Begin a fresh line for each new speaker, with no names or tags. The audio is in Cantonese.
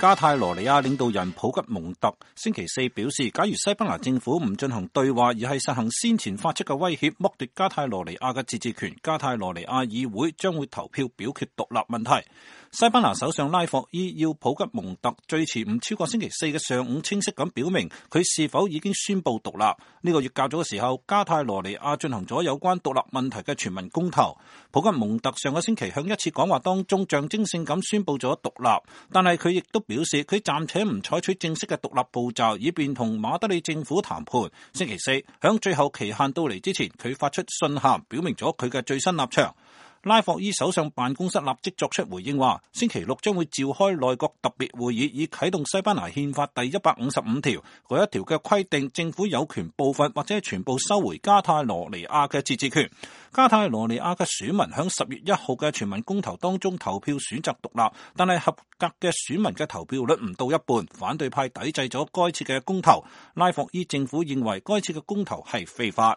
加泰羅尼亞領導人普吉蒙特星期四表示，假如西班牙政府唔進行對話，而係實行先前發出嘅威脅，剝奪加泰羅尼亞嘅自治權，加泰羅尼亞議會將會投票表決獨立問題。西班牙首相拉霍伊要普吉蒙特最遲唔超過星期四嘅上午清晰咁表明佢是否已經宣布獨立。呢個月較早嘅時候，加泰羅尼亞進行咗有關獨立問題嘅全民公投。普吉蒙特上個星期向一次講話當中象徵性咁宣布咗獨立，但係佢亦都表示佢暫且唔採取正式嘅獨立步驟，以便同馬德里政府談判。星期四響最後期限到嚟之前，佢發出信函表明咗佢嘅最新立場。拉霍伊首相辦公室立即作出回應話，星期六將會召開內閣特別會議，以啟動西班牙憲法第155條嗰一條嘅規定，政府有權部分或者全部收回加泰羅尼亞嘅自治權。加泰羅尼亞嘅選民響10月1號嘅全民公投當中投票選擇獨立，但係合格嘅選民嘅投票率唔到一半，反對派抵制咗該次嘅公投。拉霍伊政府認為該次嘅公投係非法。